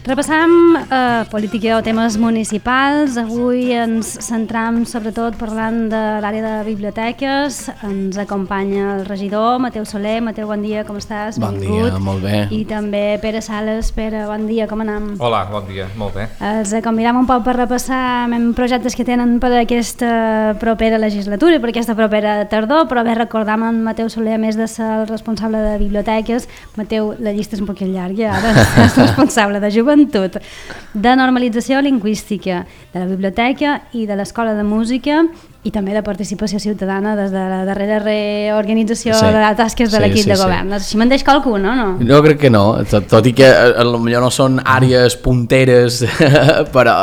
Repassam política o temes municipals. Avui ens centram sobretot parlant de l'àrea de biblioteques. Ens acompanya el regidor Mateu Soler. Mateu, bon dia, com estàs? Bon dia, molt bé. I també Pere Sales. Pere, bon dia, com anem? Hola, bon dia, molt bé. Els convidam un poc per repassar projectes que tenen per aquesta propera legislatura i per aquesta propera tardor, però bé, recordam en Mateu Soler, a més de ser el responsable de biblioteques. Mateu, la llista és un poquet llarga, ara és responsable de joventut, de normalització lingüística, de la biblioteca i de l'escola de música i també de participació ciutadana des de la darrera reorganització de les tasques de l'equip de govern. Així me'n deix qualcun, no? Jo crec que no, tot i que potser no són àrees punteres però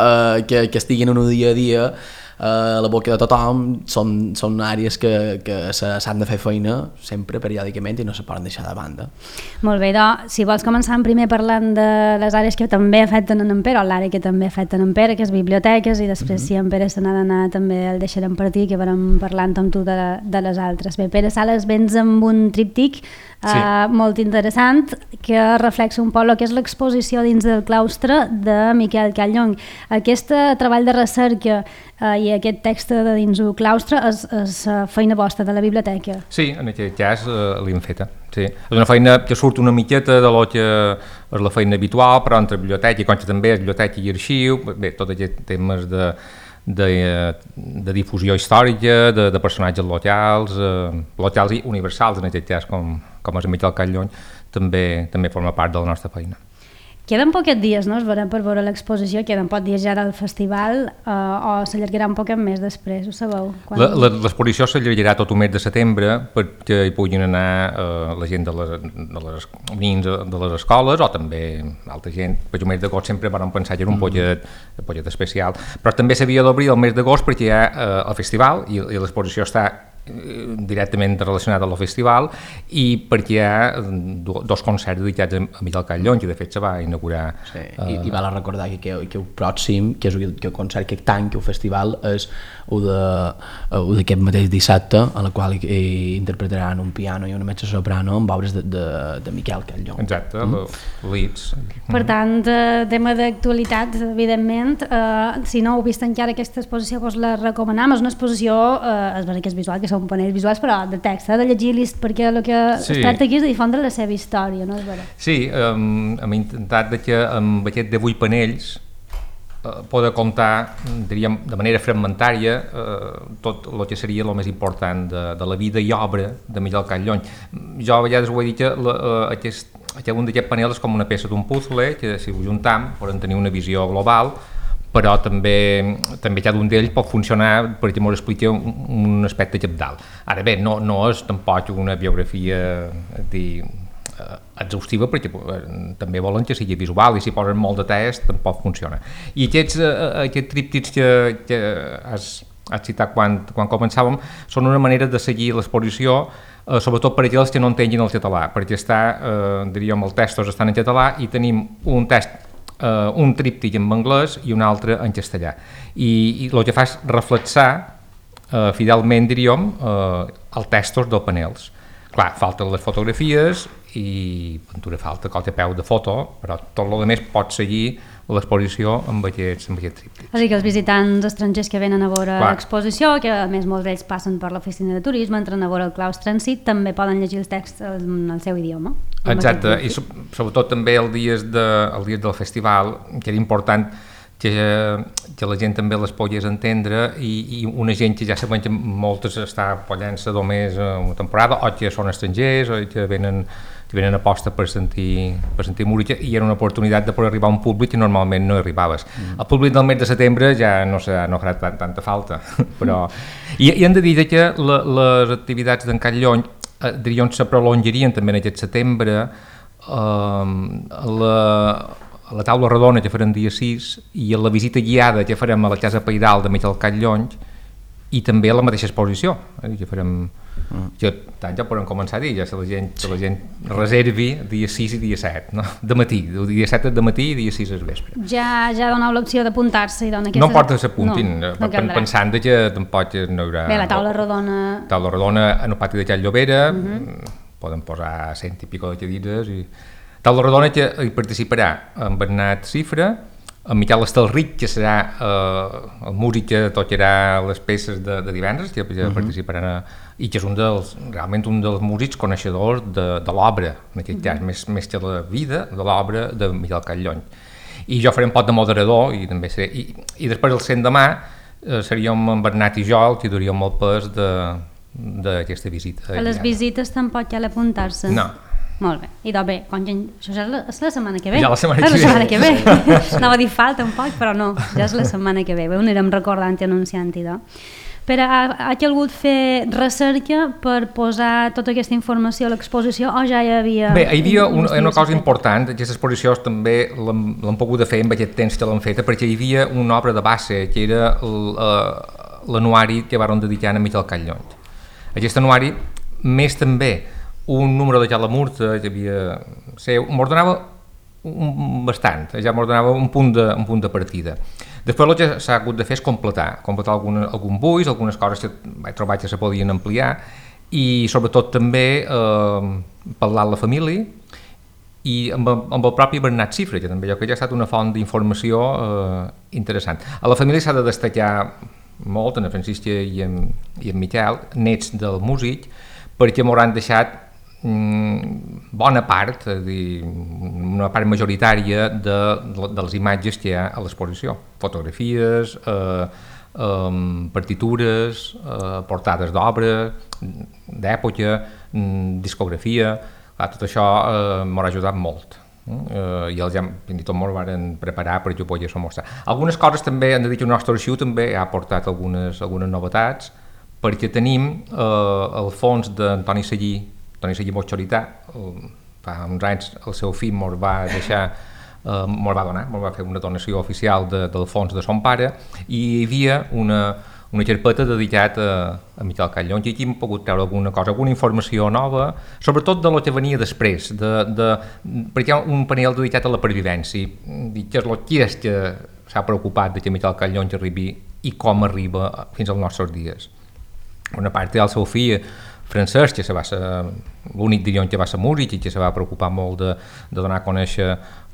que estiguin en un dia a dia a la boca de tothom, són àrees que s'han de fer feina sempre, periòdicament, i no se poden deixar de banda. Molt bé, doncs, si vols començar primer parlant de les àrees que també afecten en Pere, o l'àrea que també afecten en Pere, que és biblioteques, i després si en Pere se n'ha d'anar també el deixarem partir, que vam parlant amb tu de les altres. Bé, Pere Sales, vens amb un tríptic molt interessant que reflexa un poc el que és l'exposició dins del claustre de Miquel Callong. Aquest treball de recerca i aquest text de dins el claustre és feina vostra de la biblioteca? Sí, en aquest cas l'hem feta. Sí. És una feina que surt una miqueta de lo que és la feina habitual, però entre biblioteca i consta també biblioteca i arxiu, bé, tots aquests temes de difusió històrica, de personatges locals i universals, en aquest cas, com és en Miquel Callong, també forma part de la nostra feina. Queden poquets dies, no? Per veure l'exposició, queden pocs dies ja del festival, o s'allargarà un poc més després, ho sabeu? L'exposició s'allargarà tot un mes de setembre perquè hi puguin anar la gent de les nins de les escoles o també altra gent. Per el mes d'agost sempre vam pensar que era un pollet especial, però també s'havia d'obrir el mes d'agost perquè hi ha el festival i l'exposició està directament relacionat amb el festival i perquè hi ha dos concerts dedicats a Miquel Callong, que de fet se va inaugurar. Sí, i val a recordar que el pròxim, que és el concert que tanca el festival, és el d'aquest mateix dissabte, en el qual interpretaran un piano i una mezzo-soprano amb obres de Miquel Callong. Exacte, Leeds. Per tant, tema d'actualitat, evidentment, si no heu vist encara aquesta exposició, doncs la recomanem. És una exposició, és veritat que és visual, que són panells visuals, però de text, de llegir-los, perquè el que es tracta aquí és de difondre la seva història, no és veritat? Sí, hem intentat que amb aquest 18 panells poder comptar, diríem, de manera fragmentària tot el que seria el més important de la vida i obra de Miquel Callong. Jo a vegades ho he dit que un d'aquests panels és com una peça d'un puzzle, que si ho juntam poden tenir una visió global, però també cada un d'ells pot funcionar perquè ens expliqui un aspecte cabdal. Ara bé, no és tampoc una biografia exhaustiva, perquè també volen que sigui visual i si posen molt de text tampoc funciona. I aquests tríptics que has citat quan començàvem són una manera de seguir l'exposició, sobretot per aquells que no entenguin el català, perquè diríem, els textos estan en català i tenim un tríptic en anglès i un altre en castellà. I el que fa és reflexar fidelment, diríem, els textos dels panels. Clar, falten les fotografies i pintura falta, qualque peu de foto, però tot el que més pot seguir l'exposició amb aquest tríptic. És a dir, que els visitants estrangers que venen a veure l'exposició, que a més molts d'ells passen per l'oficina de turisme, entren a veure el claustre en si, també poden llegir els texts en el seu idioma. Exacte, i sobretot també els dies del festival, que era important que la gent també les pogués entendre i una gent que ja sabem que moltes està apoyant-se només una temporada o que són estrangers o que venen a posta per sentir música, i era una oportunitat de poder arribar a un públic que normalment no arribaves. El públic del mes de setembre ja no farà tanta falta, però... I hem de dir que les activitats d'en Callong diríem se prolongarien també en aquest setembre. La taula rodona que farem dia 6 i la visita guiada que farem a la Casa Pairal de Miquel Callong i també a la mateixa exposició que farem, que tant ja podem començar a dir, ja si la gent reservi dia 6 i dia 7, no? De matí, dia 7 de matí i dia 6 al vespre. Ja doneu l'opció d'apuntar-se? No importa que s'apuntin, pensant que tampoc no hi haurà... Bé, la taula rodona... Taula rodona en el pati de Can Llobera, poden posar 100 i pico de cadires i Taula Rodona que hi participarà en Bernat Cifra, en Miquel Estelric, que serà el músic que tocarà les peces de divendres, que participaran i que és realment un dels músics coneixedors de l'obra, en aquest cas, més que la vida, de l'obra de Miquel Catllony. I jo faré un pot de moderador i també seré, i després el l'endemà seríem en Bernat i jo el que duríem el pes d'aquesta visita. A les visites tampoc cal apuntar-se? No. Molt bé, i doncs bé, això és la setmana que ve. Ja la setmana que ve. Anava a dir falta un poc, però no, ja és la setmana que ve. Ho anirem recordant i anunciant-hi. Però ha calgut fer recerca per posar tota aquesta informació a l'exposició o ja hi havia... Bé, hi havia una cosa important, aquesta exposició també l'hem pogut fer amb aquest temps que l'hem feta, perquè hi havia una obra de base, que era l'anuari que van dedicar a Miquel Catllony. Aquest anuari, més també un número de Calamurta que havia seu, m'ordenava bastant, ja m'ordenava un punt de partida. Després el que s'ha hagut de fer és completar algun buix, algunes coses que vaig trobar que se podien ampliar i sobretot també parlar amb la família i amb el propi Bernat Cifra, que també jo crec que ha estat una font d'informació interessant. A la família s'ha de destacar molt, en Francisca i en Miquel, nets del músic, perquè m'hauran deixat bona part, una part majoritària de les imatges que hi ha a l'exposició, fotografies, partitures, portades d'obra, d'època, discografia, tot això m'haurà ajudat molt. I els fins i tot m'ho van preparar perquè ho pogués mostrar. Algunes coses també, hem de dir que el nostre arxiu també ha portat algunes novetats, perquè tenim el fons d'Antoni Seguí Botxorità, fa uns anys el seu fill mos va fer una donació oficial del fons de son pare i hi havia una carpeta dedicada a Miquel Catllony i aquí hem pogut treure alguna cosa, alguna informació nova, sobretot de lo que venia després, perquè hi ha un panel dedicat a la pervivència, que és el que s'ha preocupat de que Miquel Catllony arribi i com arriba fins als nostres dies. Una part té el seu fill Francesc, que va ser l'únic dirion que va ser músic i que se va preocupar molt de donar a conèixer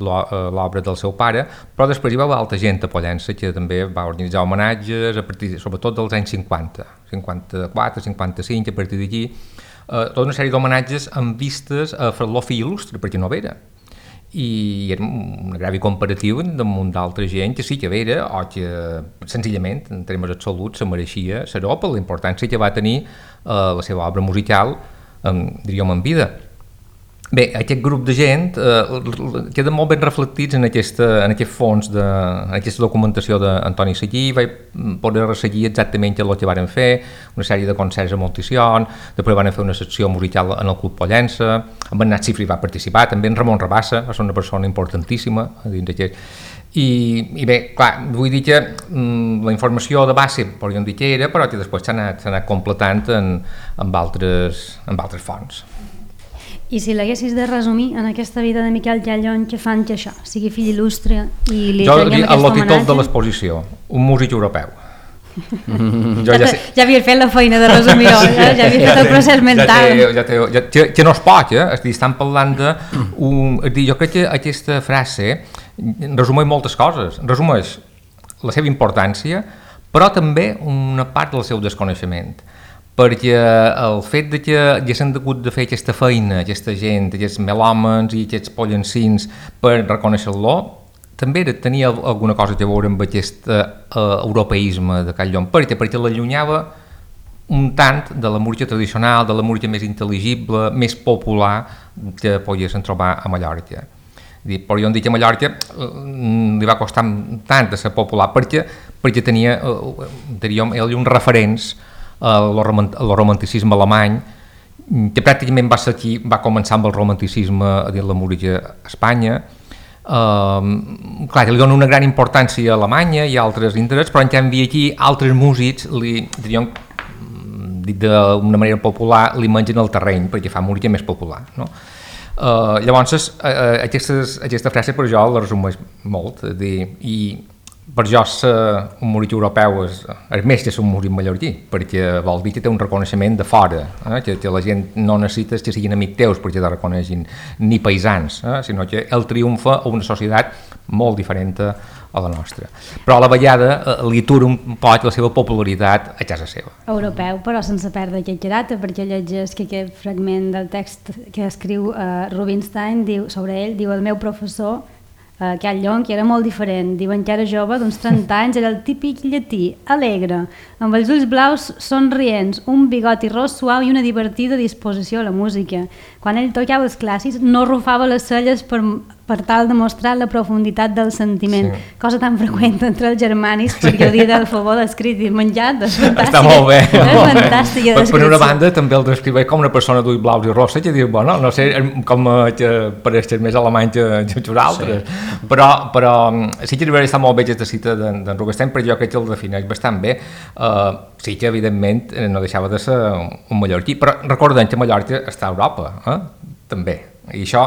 l'obra del seu pare, però després hi va haver altra gent a Pollença que també va organitzar homenatges, sobretot dels anys 50, 54, 55, a partir d'aquí, tota una sèrie d'homenatges amb vistes a fer-lo fill il·lustre, perquè no vera. I era un agravi comparatiu damunt d'altra gent que sí que vera o que senzillament en termes absoluts se mereixia ser-ho per la importància que va tenir la seva obra musical, diríem, en vida. Bé, aquest grup de gent queden molt ben reflectits en aquest fons, en aquesta documentació d'Antoni Seguí. Vaig poder resseguir exactament el que varen fer, una sèrie de concerts a Monticion, després van fer una secció musical en el Club Pollença, en Bernat Cifra va participar, també en Ramon Rabassa, va ser una persona importantíssima dins d'aquest. I bé, clar, vull dir que la informació de base podríem dir que era, però que després s'ha anat completant amb altres fonts. I si l'haguessis de resumir en aquesta vida de Miquel Catllony, què fan que això sigui fill il·lustre i li traguem aquest homenatge? El títol de l'exposició, un músic europeu. Ja havia fet la feina de resumir-ho, ja havia fet el procés mental. Que no es pot, estan parlant de... Jo crec que aquesta frase resumeix moltes coses, resumeix la seva importància, però també una part del seu desconeixement. Perquè el fet de que haguessin hagut de fer aquesta feina, aquesta gent, aquests melòmens i aquests pollencins per reconèixer-lo, també tenia alguna cosa a veure amb aquest europeisme de Catllony, perquè l'allunyava un tant de la música tradicional, de la música més intel·ligible, més popular que poguessin trobar a Mallorca. Podríem dir que a Mallorca li va costar tant de ser popular perquè tenia, diríem, uns referents el romanticisme alemany, que pràcticament va començar amb el romanticisme dins la música a Espanya. Clar, li dona una gran importància a Alemanya i altres interessos, però en canvi aquí altres músics, diríem, dit d'una manera popular, li mengen el terreny perquè fa música més popular. No? Llavors, aquesta frase per jo la resumeix molt, i per jo un moritx europeu és més que ser un moritx mallorquí, perquè vol dir que té un reconeixement de fora, que la gent no necessita que siguin amics teus perquè te reconeixin, ni paisans, sinó que el triomfa a una societat molt diferent a la nostra. Però a la vegada li atura un poc la seva popularitat a casa seva. Europeu, però sense perdre aquest caràcter, perquè llegeix que aquest fragment del text que escriu Rubinstein diu, sobre ell, diu: el meu professor Cal Llong, que era molt diferent, diuen que era jove, d'uns 30 anys, era el típic llatí, alegre, amb els ulls blaus somrients, un bigoti ros suau i una divertida disposició a la música. Quan ell tocava els clàssics no rufava les celles per tal de mostrar la profunditat del sentiment, cosa tan freqüent entre els germànics, perquè ho dit del favor escrit i menjat, és fantàstic. Està molt bé. És fantàstica descripció. Per una banda també el descriveix com una persona d'ulls blaus i rosses, que diu, bueno, no sé, com que pareix més alemany que nosaltres, però sí que està molt bé aquesta cita d'en Rubinstein, però jo crec que el defineix bastant bé. Sí que evidentment no deixava de ser un mallorquí, però recordem que Mallorca està a Europa, també. I això,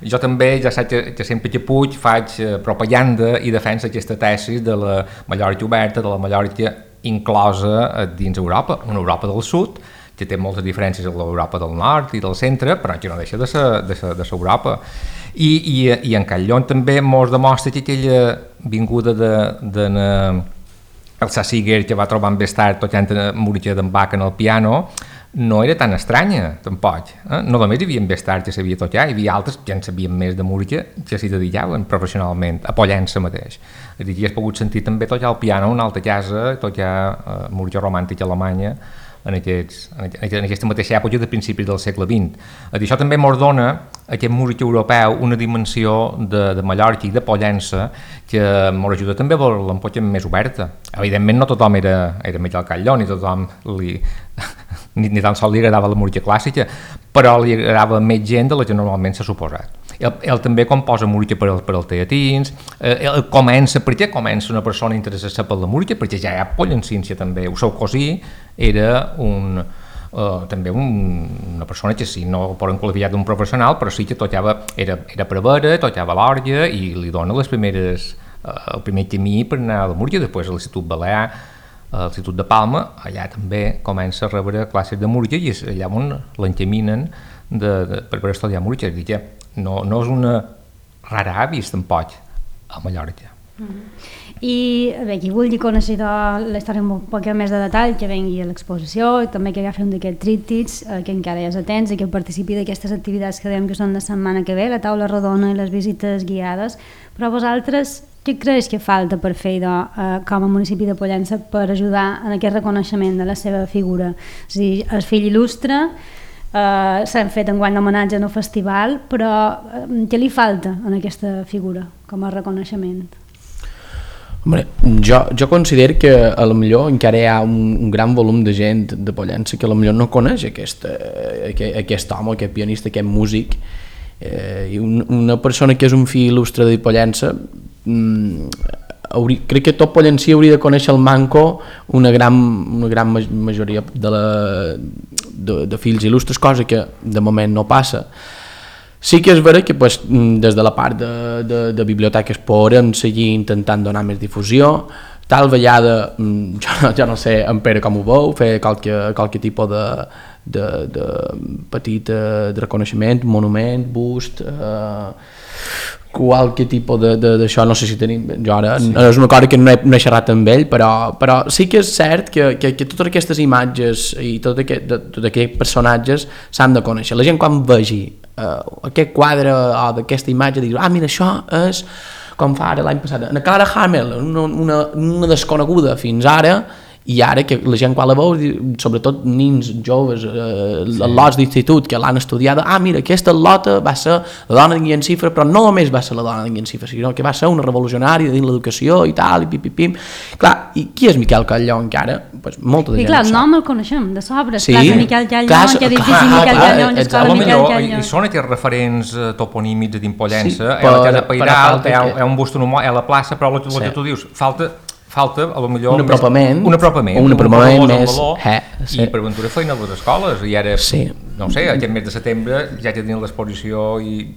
jo també ja saps que sempre que puig faig propaganda i defensa aquesta tesi de la Mallorca oberta, de la Mallorca inclosa dins Europa, una Europa del sud, que té moltes diferències amb l'Europa del nord i del centre, però que no deixa de ser Europa. I en Cal Llong també mos demostra que aquella vinguda el Sassiger, que va trobar més tard tocant Múrica d'en Bach en el piano, no era tan estranya, tampoc. No només hi havia més tard que sabia tocar, hi havia altres que en sabien més de música que s'hi dedicaven professionalment, a Pollença mateix. És a dir, has pogut sentir també tocar el piano en una altra casa, tocar música romàntica alemanya en aquesta mateixa època de principis del segle XX. Això també ens dona aquest músic europeu una dimensió de Mallorca i de Pollença que ens ajuda també a veure-la un poc més oberta. Evidentment no tothom era Miquel Cal Llong, ni tothom ni tan sols li agradava la música clàssica, però li agradava més gent de la que normalment s'ha suposat. Ell també composa música per als teatrins, per què comença una persona interessada per la música? Perquè ja hi ha pollencíncia també. El seu cosí era també una persona que sí, no ho poden qualificar d'un professional, però sí que tocava, era prevere, tocava l'orgue i li dona el primer camí per anar a la música. Després a l'Institut Balear, a l'Institut de Palma, allà també comença a rebre classes de música i és allà on l'encaminen per estudiar música. És a dir, que no és una rara avis tampoc a Mallorca. I bé, qui vulgui conèixer la història amb un poc més de detall, que vengui a l'exposició, també que agafi un d'aquests tríptics, que encara hi és atents i que participi d'aquestes activitats que dèiem que són la setmana que ve, la taula rodona i les visites guiades. Però vosaltres, què creus que falta per fer com a municipi de Pollença per ajudar en aquest reconeixement de la seva figura? És a dir, el fill il·lustre, s'han fet enguany l'homenatge en el festival, però què li falta en aquesta figura com a reconeixement? Hombre, jo considero que a lo millor encara hi ha un gran volum de gent de Pollença que a lo millor no coneix aquest home, aquest pianista, aquest músic, i una persona que és un fill il·lustre de Pollença, crec que tot pollencí hauria de conèixer el manco una gran majoria de fills il·lustres, cosa que de moment no passa. Sí que és vera que des de la part de biblioteques podem seguir intentant donar més difusió. Tal vegada, jo no sé en Pere com ho veu, fer qualque tipus de petit reconeixement, monument, bust, qualque tipus d'això, no sé si tenim, jo ara és una cosa que no he xerrat amb ell, però sí que és cert que totes aquestes imatges i tots aquests personatges s'han de conèixer. La gent quan vegi aquest quadre o d'aquesta imatge diu, mira, això és com fa ara l'any passat, Anna Clara Hamel, una desconeguda fins ara, i ara que la gent quan la veu, sobretot nins joves, lots d'institut que l'han estudiada, mira, aquesta lota va ser la dona d'en Guillem Cifra, però no només va ser la dona d'en Guillem Cifra, sinó que va ser una revolucionària dins l'educació i tal, i pim. Clar, i qui és Miquel Cal Llong encara? Molta de gent. I clar, el nom el coneixem, de sobres, classe Miquel Cal Llong, que edifici Miquel Cal Llong, escola Miquel Cal Llong. I són aquests referents toponímics de Pollença, a la casa Pairal, hi ha un bust en a la plaça, però el que tu dius, falta a lo millor un apropament més i per aventura feina a les escoles i ara, no sé, aquest mes de setembre ja tenim l'exposició i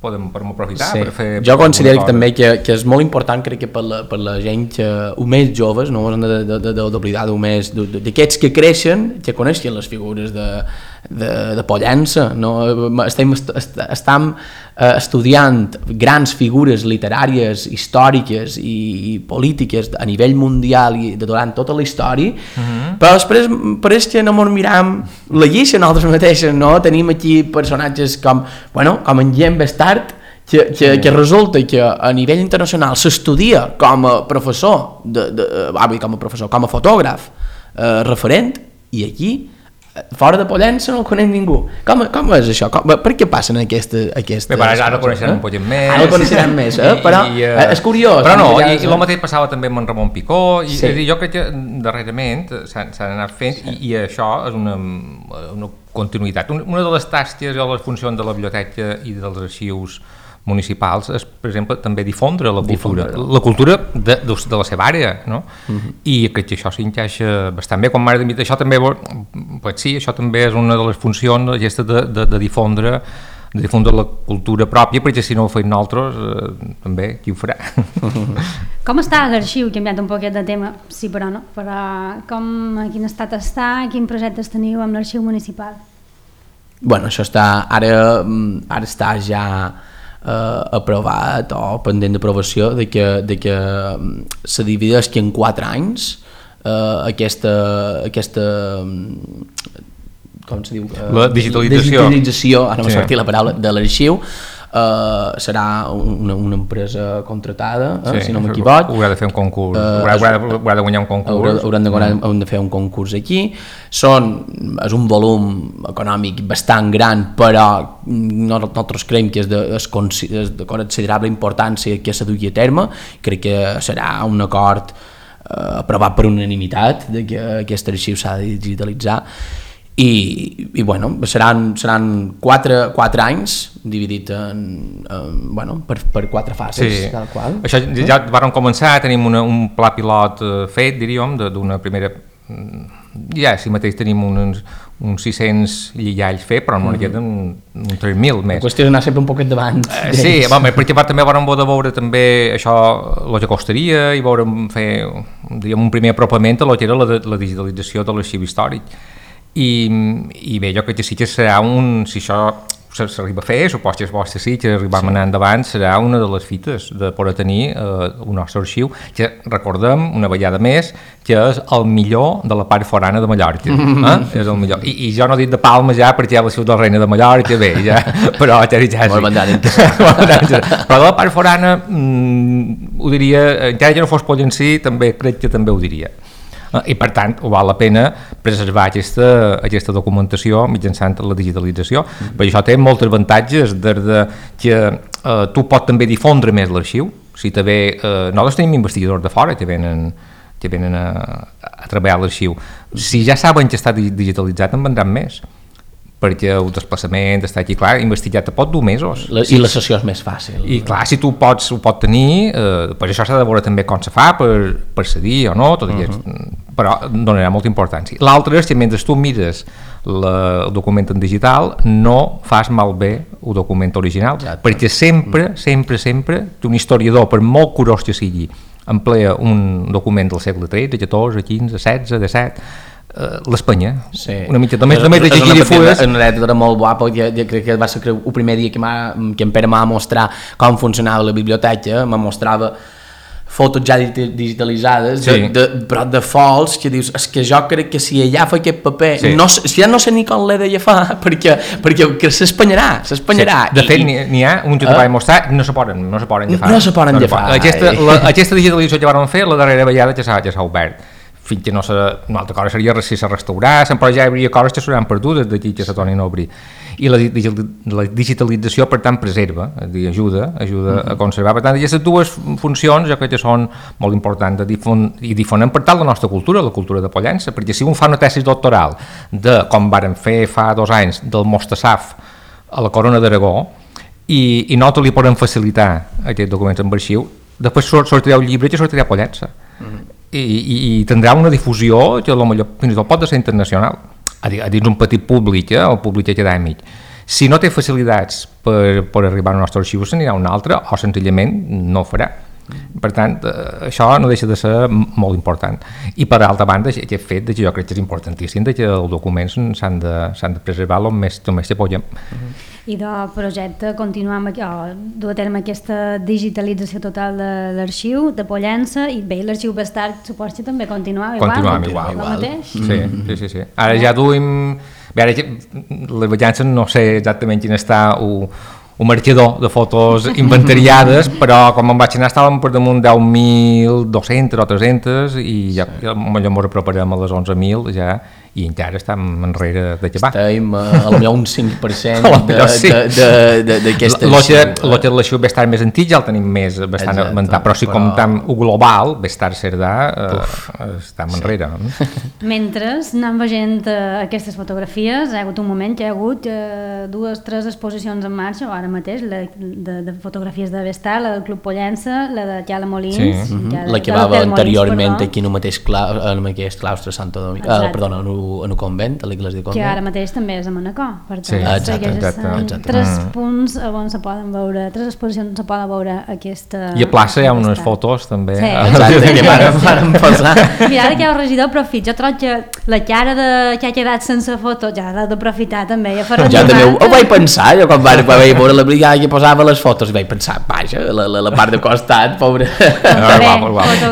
podem aprofitar per fer... Jo considero també que és molt important, crec que per la gent més joves, no ens hem d'oblidar d'aquests que creixen, que coneixen les figures de Pollença, no? Estem estudiant grans figures literàries, històriques i polítiques a nivell mundial i durant tota la història, però després pareix que no ens miram la lliça nosaltres mateixes, no? Tenim aquí personatges com en Jean Bastard, que resulta que a nivell internacional s'estudia com a professor, com a fotògraf referent, i aquí fora de Pollença no el coneix ningú. Com és això? Per què passen aquestes... Ara el coneixerem un poquet més. Ara el coneixerem més, però és curiós. Però no, i el mateix passava també amb en Ramon Picó, i jo crec que darrerament s'han anat fent, i això és una continuïtat. Una de les tasques o les funcions de la biblioteca i dels arxius municipals és, per exemple, també difondre la cultura de la seva àrea, no? I crec que això s'encaixa bastant bé. Quan m'ha dit això també, això també és una de les funcions aquesta de difondre la cultura pròpia, perquè si no ho feim nosaltres, també, qui ho farà? Com està l'arxiu? He canviat un poquet de tema, sí, però no. Però a quin estat està, quin projectes teniu amb l'arxiu municipal? Bueno, això ara està ja aprovat o pendent d'aprovació de que se divideix que en 4 anys aquesta com se diu? La digitalització, ara m'ha sortit la paraula, de l'arxiu. Serà una empresa contratada, si no m'equivoc. Haurà de fer un concurs, haurà de guanyar un concurs. Haurem de fer un concurs aquí. És un volum econòmic bastant gran, però nosaltres creiem que és de considerable importància que se dugui a terme. Crec que serà un acord aprovat per unanimitat de que aquest arxiu s'ha de digitalitzar. I bueno, seran 4 anys dividit per 4 fases, tal qual. Això ja vàrem començar, tenim un pla pilot fet, diríem, d'una primera... Ja, si mateix tenim uns 600 lligalls fet, però no queden uns 3.000 més. La qüestió és anar sempre un poquet davant. Sí, perquè també vàrem poder veure també això, el que costaria, i vàrem fer un primer apropament a lo que era la digitalització de l'arxiu històric. I bé, jo crec que sí que serà si això s'arriba a fer, suposo que és vostre sí, que arribam anar endavant, serà una de les fites de poder tenir un nostre arxiu, que recordem una vegada més que és el millor de la part forana de Mallorca, és el millor. I jo no he dit de Palma ja perquè hi ha la ciutat del Reina de Mallorca, bé, ja, però ja però de la part forana ho diria, encara que no fos Pollencí, també crec que també ho diria. I per tant val la pena preservar aquesta documentació mitjançant la digitalització, perquè això té molts avantatges, des que tu pots també difondre més l'arxiu. Si nosaltres tenim investigadors de fora que venen a treballar a l'arxiu. Si ja saben que està digitalitzat, en vendran més, perquè el desplaçament està aquí, clar, investigat pot dur mesos. I la sessió és més fàcil. I clar, si tu ho pots tenir, per això s'ha de veure també com se fa, per cedir o no, tot aquest, però donarà molta importància. L'altre és que mentre tu mires el document en digital, no fas malbé el document original, perquè sempre un historiador, per molt curós que sigui, emplea un document del segle XIII, XIV, XV, XVI, XVII, l'Espanya, una mica també de llegir i fulles. És una anècdota molt guapa, jo crec que va ser el primer dia que en Pere m'ha mostrar com funcionava la biblioteca, me mostrava fotos ja digitalitzades, però de fols, que dius, és que jo crec que si allà fa aquest paper, ja no sé ni com l'he de fa, perquè s'espanyarà. De fet, n'hi ha un que te vaig mostrar, no se poden llafar. No se poden llafar. Aquesta digitalització que vam fer, la darrera vegada ja s'ha obert. Fins que una altra cosa seria si se restaurassen, però ja hi hauria coses que seran perdudes d'aquí que se tornin a obrir. I la digitalització, per tant, preserva, ajuda a conservar. Per tant, aquestes dues funcions jo crec que són molt importants i difonen per tant la nostra cultura, la cultura de Pollença, perquè si un fa una tesi doctoral de com varen fer fa 2 anys del Mostasaf a la Corona d'Aragó i nosaltres li podem facilitar aquests documents en arxiu, després sortirà un llibre que sortirà a Pollença. I tindrà una difusió que potser fins i tot pot ser internacional, a dins un petit públic, el públic acadèmic, Si no té facilitats per arribar al nostre arxiu, se n'anirà a un altre o senzillament no ho farà. Per tant, això no deixa de ser molt important. I per altra banda, aquest fet que jo crec que és importantíssim, que els documents s'han de preservar el més que puguem. I del projecte continuar amb, dur a terme aquesta digitalització total de l'arxiu de Pollença, i bé, l'arxiu Bestart suposo que també continuava igual. Mateix? Sí. Ara ja duim... Bé, ara les Pollences no sé exactament quin està un marcador de fotos inventariades, però quan me'n vaig anar estàvem per damunt 10.200 o 300 i ja ens aproparem a les 11.000 ja, i encara estem enrere d'acabar. Estem a lo millor un 5% d'aquestes... El que l'arxiu Bestart més antic ja el tenim bastant augmentat, però si comptem el global, Bestart Cerdà, estem enrere. Mentre anem veient aquestes fotografies, hi ha hagut un moment que hi ha hagut 2 o 3 exposicions en marxa, ara mateix, de fotografies de Bestart, la del Club Pollença, la de Cala Molins... La que va anteriorment aquí en el mateix claustre Santo Domingo, perdona, en el convent, a l'església de convent. Que ara mateix també és a Manacor, per tant, exacte. 3 punts on se poden veure, 3 exposicions on se poden veure aquesta... I a plaça hi ha unes fotos també. Sí. Exacte, que vàrem posar. Mira, ara que hi ha el regidor, profit, jo trobo que la cara que ha quedat sense foto ja l'ha d'aprofitar també. Ja també ho vaig pensar, jo quan vaig veure la brigada que posava les fotos, vaig pensar, vaja, la part de costat, pobre.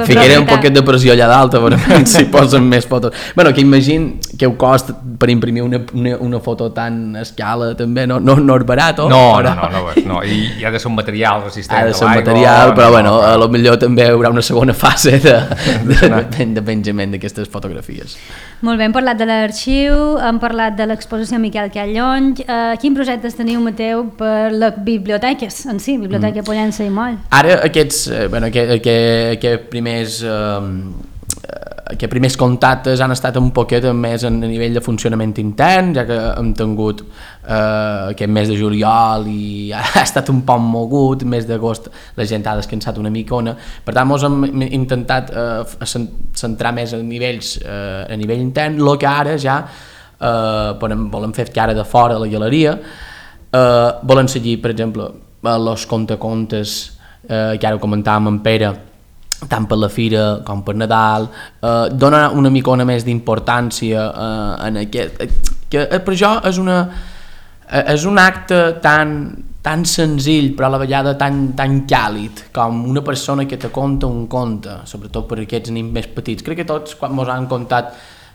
Ficaré un poquet de pressió allà dalt, si posen més fotos. Bueno, que imagino que ho costa per imprimir una foto tan a escala també, no és barat, o? No, i ha de ser un material resistent a l'aigua. Ha de ser un material, però bueno, a lo millor també hi haurà una segona fase de penjament d'aquestes fotografies. Molt bé, hem parlat de l'arxiu, hem parlat de l'exposició Miquel Callony. Quin projectes teniu, Mateu, per les biblioteques en si, Biblioteca Pollença i Moll? Ara aquests primers contactes han estat un poquet més a nivell de funcionament intern, ja que hem tingut aquest mes de juliol i ha estat un poc mogut, mes d'agost la gent ha descansat una micona, per tant ens hem intentat centrar més a nivell intern, el que ara ja volem fer que ara de fora a la galeria volem seguir, per exemple, els contes que ara ho comentàvem amb Pere, tant per la fira com per Nadal, donar una micona més d'importància en aquest, que per jo és un acte tan senzill però a la vegada tan càlid com una persona que te conta un conte, sobretot per aquests nens més petits. Crec que tots quan ens han contat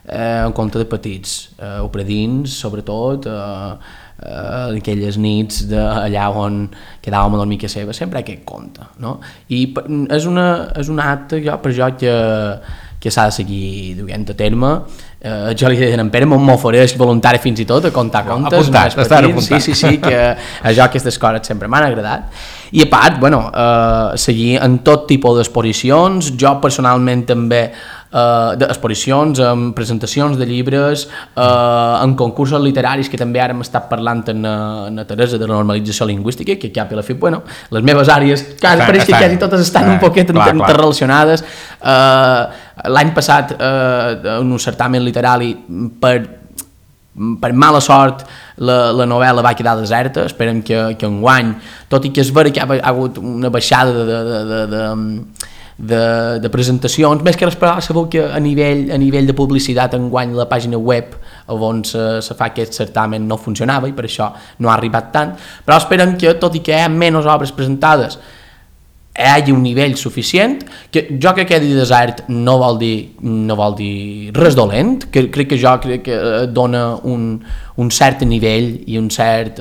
un conte de petits, o predins sobretot, aquelles nits allà on quedàvem a dormir a seva, sempre aquest conte, no? I és un acte per jo que s'ha de seguir duent a terme. Jo li deia a en Pere, m'ofereix voluntari fins i tot a contar contes més petits. Sí, que a jo aquestes coses sempre m'han agradat. I a part, seguir en tot tipus d'exposicions, jo personalment també d'exposicions, amb presentacions de llibres, en concursos literaris, que també ara hem estat parlant en Teresa de la normalització lingüística, que cap i a la fi, les meves àrees pareix que quasi totes estan un poquet interrelacionades. L'any passat en un certamen literari per mala sort la novel·la va quedar deserta. Esperem que enguany, tot i que és vera que ha hagut una baixada de presentacions, més que esperar, sabeu que a nivell de publicitat enguany la pàgina web on se fa aquest certamen no funcionava i per això no ha arribat tant, però esperem que tot i que hi ha menys obres presentades hi hagi un nivell suficient, que jo crec que quedi desert no vol dir res dolent, crec que dona un cert nivell i un cert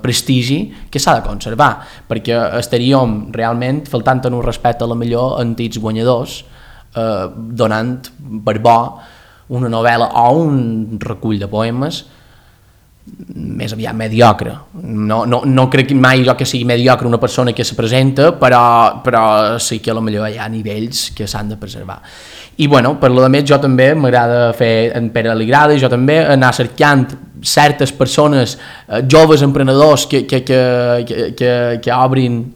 prestigi que s'ha de conservar, perquè estaríem realment faltant en un respecte a la millor antics guanyadors, donant per bo una novel·la o un recull de poemes més aviat mediocre. No crec mai jo que sigui mediocre una persona que se presenta, però sí que potser hi ha nivells que s'han de preservar. I per lo més jo també m'agrada fer, en Pere li agrada, i jo també anar cercant certes persones, joves emprenedors que obrin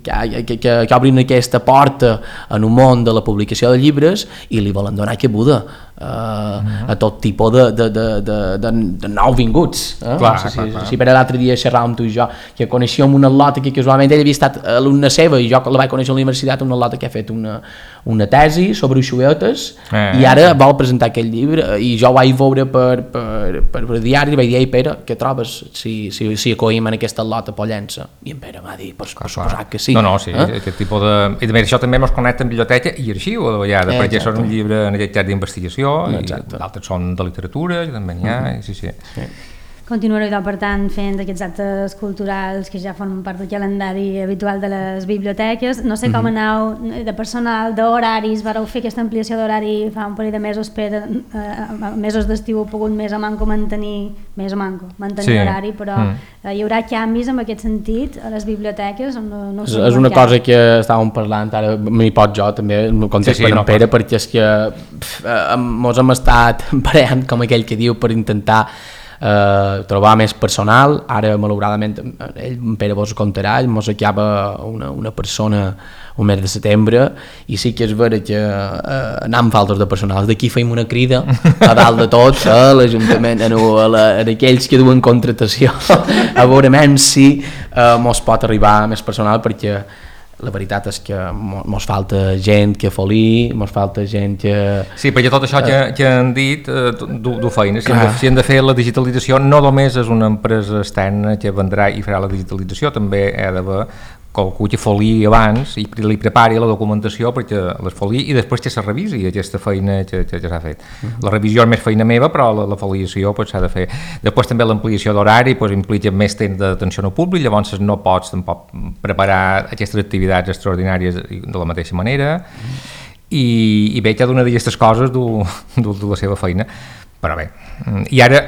aquesta porta en un món de la publicació de llibres i li volen donar cabuda. a tot tipus de nouvinguts. Clar, no sé clar. si per l'altre dia xerràvem amb tu i jo, que coneixíem una atleta que casualment ell havia estat alumna seva i jo la vaig conèixer a la universitat, una atleta que ha fet una tesi sobre uixuetes i ara vol presentar aquest llibre i jo ho vaig veure per diari i vaig dir, ei Pere, què trobes si acoïm en aquesta atleta Pollença? I en Pere m'ha dit, per suposat que sí. No, sí, aquest tipus de... I també això també ens connecta amb biblioteca i arxiu a la vegada, perquè són un llibre en aquest cas d'investigació i d'altres són de literatura, que també n'hi ha, sí. Continuareu, per tant, fent aquests actes culturals que ja formen part del calendari habitual de les biblioteques. No sé com aneu de personal, d'horaris, vareu fer aquesta ampliació d'horari fa un parell de mesos mesos d'estiu heu pogut més o manco mantenir horari, però hi haurà canvis en aquest sentit a les biblioteques? No és una cosa que estàvem parlant, ara m'hi pot jo també, en context per en Pere, perquè és que mos hem estat barallant, com aquell que diu, per intentar trobar més personal. Ara malauradament ell, Pere vos contarà, ell mos acaba una persona un mes de setembre i sí que és vera que anem faltes de personal. D'aquí feim una crida a dalt de tot a l'Ajuntament, a aquells que duen contratació, a veure si mos pot arribar més personal, perquè la veritat és que mos falta gent que folí, mos falta gent que... Sí, perquè tot això que han dit du feina. Si hem de fer la digitalització, no només és una empresa externa que vendrà i farà la digitalització, també hi ha d'haver qualcú que folí abans i li prepari la documentació perquè les folí i després que se revisi aquesta feina que s'ha fet. La revisió és més feina meva, però la foliació s'ha de fer. Després també l'ampliació d'horari implica més temps d'atenció al públic, llavors no pots tampoc preparar aquestes activitats extraordinàries de la mateixa manera i bé, cada una d'aquestes coses du la seva feina, però bé. I ara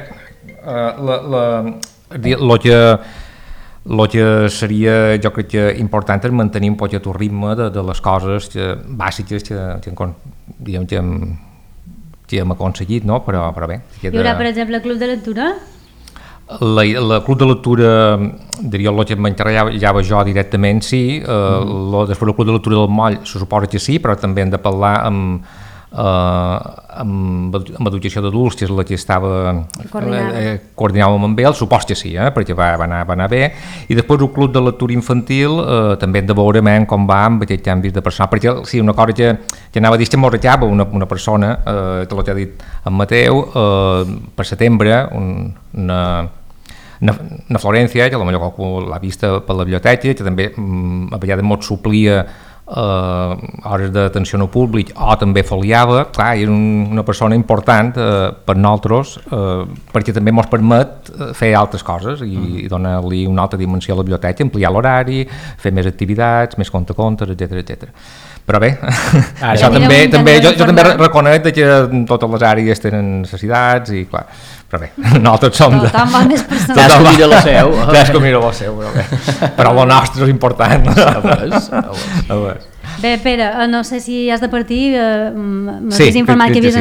el que seria, jo crec que important és mantenir un poc el ritme de les coses bàsiques que hem aconseguit, no? Però bé. Hi haurà, per exemple, club de lectura? El club de lectura, diria el que m'encarregava jo directament, sí. Després el club de lectura del Moll se suposa que sí, però també hem de parlar amb educació d'adults, que és la que coordinàvem amb ell, supos que sí, perquè va anar bé, i després el club de lectura infantil també hem de veure com va amb aquest canvi de personal, perquè sí, una cosa que anava a dir que m'ho ratllava una persona, que l'ha dit en Mateu, per setembre, una Florència, que potser qualcú l'ha vista per la biblioteca, que també a vegades m'ho suplia hores d'atenció al públic o també foliava, clar, era una persona important per nosaltres perquè també ens permet fer altres coses i donar-li una altra dimensió a la biblioteca, ampliar l'horari, fer més activitats, més contes, etc. Però bé, això també jo també reconec que totes les àrees tenen necessitats i clar, però bé, nosaltres som de... Tothom va més personal. Cadascú mira la seu. Cadascú mira la seu, però el nostre és important. Bé, Pere, no sé si has de partir, m'havies informat que havies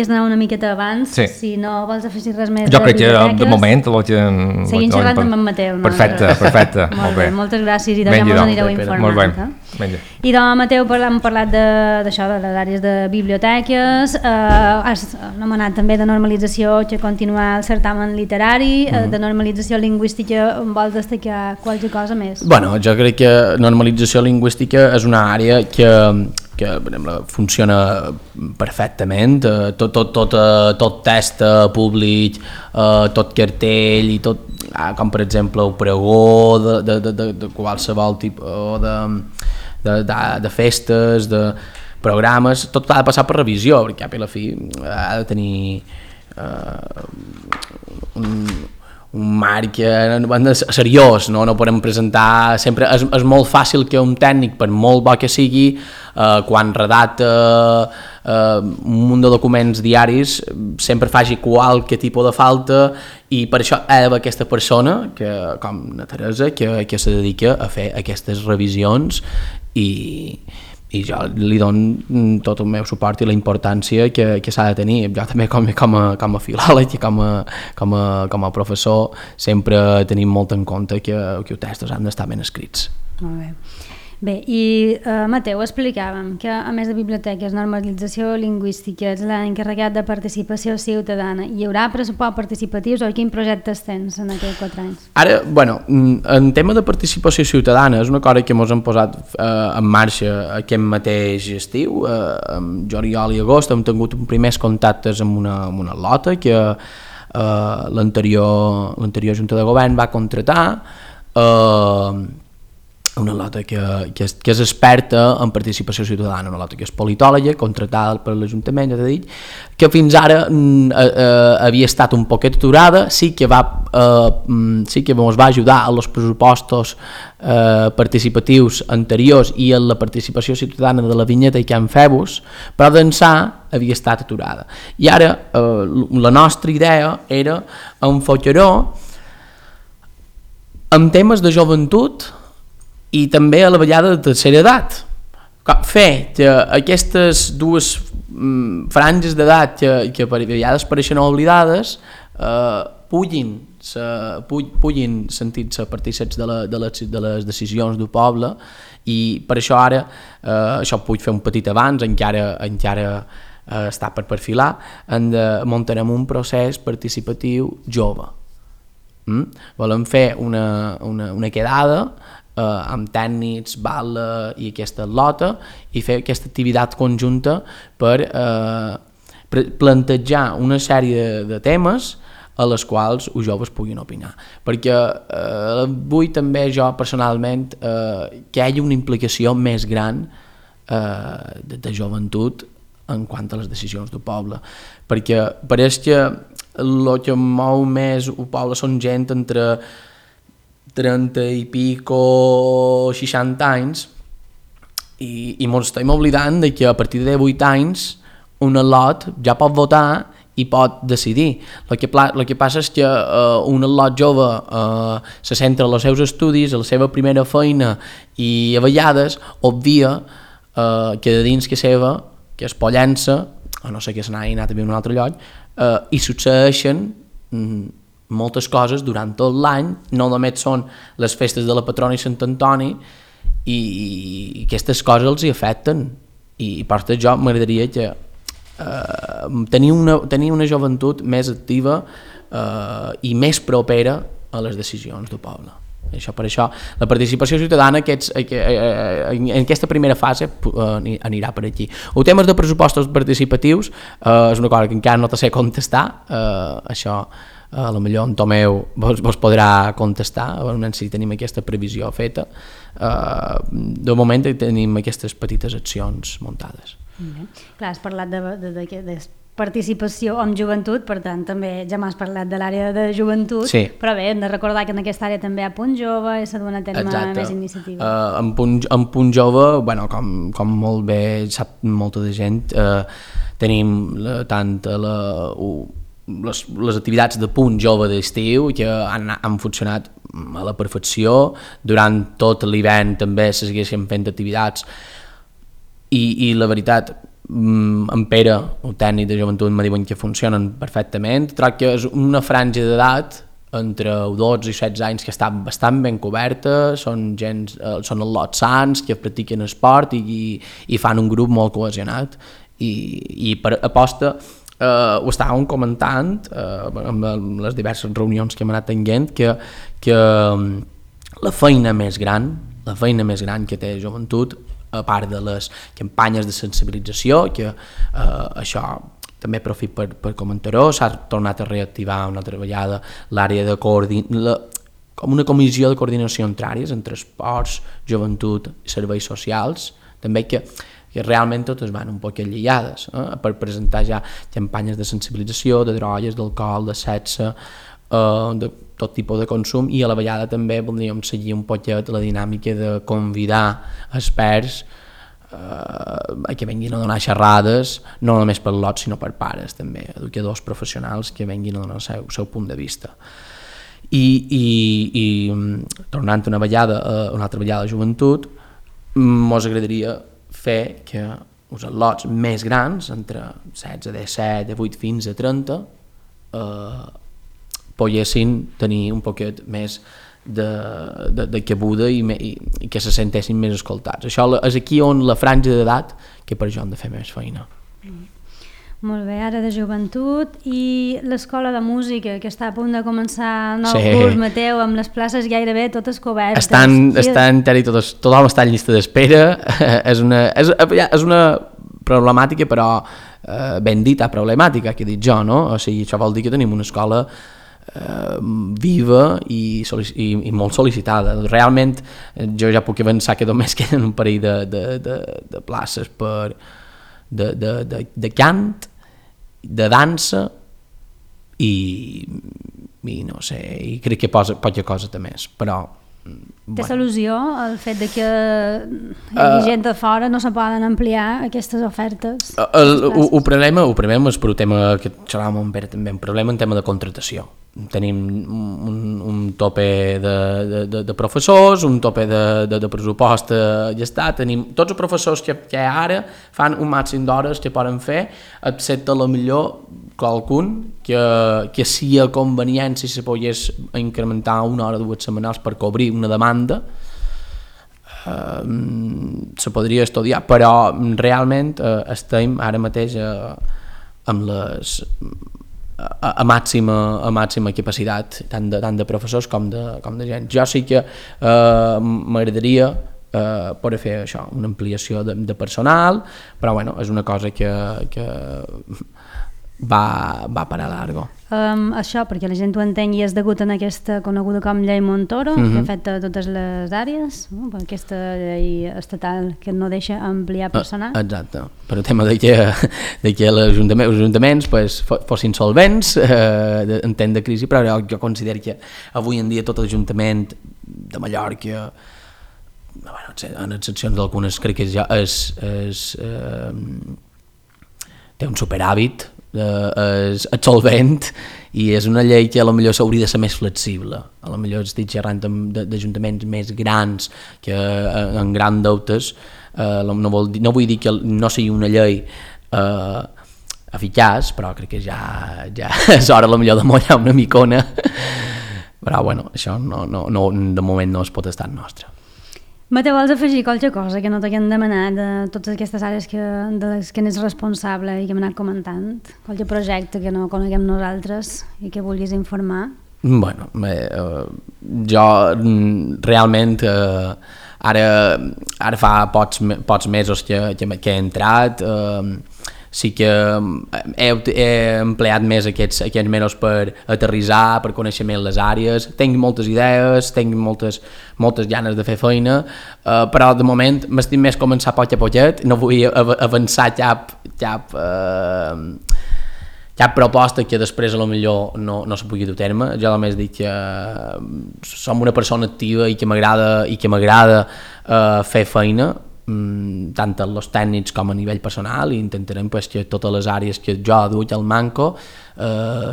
d'anar una miqueta abans, si no vols afegir res més. Jo crec que de moment seguim xerrant amb en Mateu. Perfecte, molt bé. Moltes gràcies i també mos anireu informant. Molt bé. I doncs, Mateu, hem parlat d'això, de les àrees de biblioteques, has anomenat també de normalització, que continuar el certamen literari, de normalització lingüística, vols destacar qualsevol cosa més? Bueno, jo crec que normalització lingüística és una àrea que funciona perfectament, tot test públic, tot cartell i tot, com per exemple el pregó de qualsevol tipus de festes, de programes, tot ha de passar per revisió, perquè a la fi ha de tenir un marc seriós, no podem presentar sempre, és molt fàcil que un tècnic, per molt bo que sigui, quan redacta un munt de documents diaris sempre faci qualque tipus de falta, i per això hi ha d'haver aquesta persona com la Teresa que se dedica a fer aquestes revisions i jo li dono tot el meu suport i la importància que s'ha de tenir. Jo també com a filòleg i com a professor sempre tenim molt en compte que els textos han d'estar ben escrits. Molt bé. Bé, i Mateu, explicàvem que a més de biblioteques, normalització lingüística, ets l'encarregat de participació ciutadana. Hi haurà pressupost participatius o quins projectes tens en aquests 4 anys? Ara, bueno, en tema de participació ciutadana és una cosa que ens hem posat en marxa aquest mateix estiu. En juliol i agost hem tingut primers contactes amb una lota que l'anterior Junta de Govern va contratar, una lota que és experta en participació ciutadana, una lota que és politòloga, contratada per l'Ajuntament, ja t'he dit, que fins ara havia estat un poquet aturada, sí que ens va ajudar a els pressupostos participatius anteriors i en la participació ciutadana de la vinyeta i Can Febus, però d'ençà havia estat aturada. I ara la nostra idea era enfocar-ho en temes de joventut i també a la vegada de tercera edat. Fer que aquestes dues franges d'edat que per vegades pareixen oblidades puguin sentir-se partícips de les decisions del poble, i per això ara això puc fer un petit abans, encara està per perfilar, muntarem un procés participatiu jove. Volem fer una quedada amb tècnics, bala i aquesta lota, i fer aquesta activitat conjunta per plantejar una sèrie de temes a les quals els joves puguin opinar, perquè vull també jo personalment que hi hagi una implicació més gran de joventut en quant a les decisions del poble, perquè pareix que el que mou més el poble són gent entre 30 i pico 60 anys, i ens estem oblidant de que a partir de 8 anys un lot ja pot votar i pot decidir. El que passa és que un lot jove se centra en els seus estudis, en la seva primera feina, i a vegades obvia que de dins que seva, que es pollença, a no ser que se n'hagi anat a viure en un altre lloc, i succeeixen moltes coses durant tot l'any, no només són les festes de la patrona i Sant Antoni, i aquestes coses els hi afecten, i per això jo m'agradaria que tenir una joventut més activa i més propera a les decisions del poble. Per això la participació ciutadana en aquesta primera fase anirà per aquí. El tema de pressupostos participatius és una cosa que encara no te sé contestar, això a lo millor en Tomeu vos podrà contestar, si tenim aquesta previsió feta. De moment tenim aquestes petites accions muntades. Clar, has parlat de participació amb joventut, per tant també ja m'has parlat de l'àrea de joventut, sí. Però bé, hem de recordar que en aquesta àrea també hi ha Punt Jove i s'ha dut a terme més iniciativa. En Punt Jove, bueno, com molt bé sap molta de gent, tenim tant les activitats de Punt Jove d'estiu, que han funcionat a la perfecció. Durant tot l'hivern també se segueixen fent activitats, i la veritat, en Pere, el tècnic de joventut, me diuen que funcionen perfectament. Trobo que és una franja d'edat entre 12 i 16 anys que està bastant ben coberta, són els lots sans que practiquen esport i fan un grup molt cohesionat, i per aposta ho estàvem comentant amb les diverses reunions que hem anat tenint, que la feina més gran que té joventut, a part de les campanyes de sensibilització, que això també aprofit per comentar-ho, s'ha tornat a reactivar una altra vegada l'àrea de com una comissió de coordinació entre àrees, entre esports, joventut i serveis socials, també que realment totes van un poc lligades, per presentar ja campanyes de sensibilització, de drogues, d'alcohol, de sexe, de tot tipus de consum, i a la vegada també voldríem seguir un poquet la dinàmica de convidar experts que venguin a donar xerrades, no només per lots sinó per pares també, educadors professionals que venguin a donar el seu punt de vista. I tornant una altra vegada a joventut, mos agradaria fer que els lots més grans, entre 16, 17, 18 fins a 30, poguessin tenir un poquet més de cabuda i que se sentessin més escoltats. Això és aquí on la franja d'edat que per això han de fer més feina. Molt bé, ara de joventut i l'escola de música que està a punt de començar el nou curs, Mateu, amb les places gairebé totes cobertes. Tothom està en llista d'espera. És una problemàtica, però ben dita problemàtica, que he dit jo, no? O sigui, això vol dir que tenim una escola viva i molt sol·licitada. Realment jo ja puc avançar que només queden un parell de places de cant, de dansa i no sé, i crec que poca cosa de més, però té solució el fet de que hi hagi gent de fora, no se poden ampliar aquestes ofertes? El problema és per un tema que xerràvem amb Pere també, un problema en tema de contratació. Tenim un tope de professors, un tope de pressupost ja està, tenim tots els professors que ara fan un màxim d'hores que poden fer, excepte a lo millor qualcun que si a convenient si se pogués incrementar una hora o dues setmanals per cobrir una demanda se podria estudiar, però realment estem ara mateix amb les a màxima capacitat tant de professors com de gent. Jo sí que m'agradaria poder fer això, una ampliació de personal, però bueno, és una cosa que va per a largo. Això, perquè la gent ho entengui, és degut a aquesta coneguda com llei Montoro, que afecta totes les àrees, aquesta llei estatal que no deixa ampliar personal. Exacte, per el tema de que els ajuntaments fossin solvents en temps de crisi, però jo considero que avui en dia tot l'Ajuntament de Mallorca, en excepcions d'algunes, crec que ja té un superàvit, és solvent i és una llei que potser s'hauria de ser més flexible. Potser estic xerrant d'ajuntaments més grans que en grans deutes, no vull dir que no sigui una llei eficaç, però crec que ja és hora potser de mollar una micona, però bueno, això de moment no es pot estar nostre. Mateu, vols afegir qualque cosa que no t'haguem demanat de totes aquestes àrees de les que n'és responsable i que hem anat comentant? Qualque projecte que no coneguem nosaltres i que vulguis informar? Bueno, jo realment ara fa pocs mesos que he entrat, sí que he empleat més aquests mesos per aterrissar, per conèixer més les àrees. Tinc moltes idees, tinc moltes ganes de fer feina, però de moment m'estic més començar poc a poquet, no vull avançar cap proposta que després potser no se pugui dur a terme. Jo només dic que som una persona activa i que m'agrada fer feina, tant els tècnics com a nivell personal, i intentarem que totes les àrees que jo duc al manco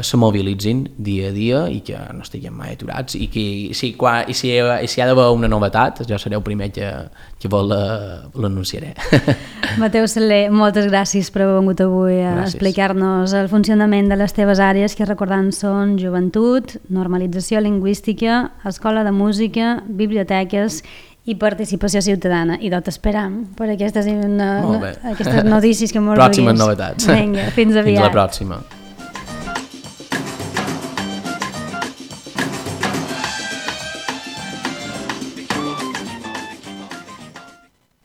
se mobilitzin dia a dia i que no estiguem mai aturats, i que si hi ha d'haver una novetat jo seré el primer que l'anunciaré. Mateu Saler, moltes gràcies per haver vingut avui a explicar-nos el funcionament de les teves àrees, que recordant són joventut, normalització lingüística, escola de música, biblioteques i participació ciutadana, i t'esperam per aquestes notícies que molt pròximes novetats. Vinga, fins aviat. Fins la pròxima.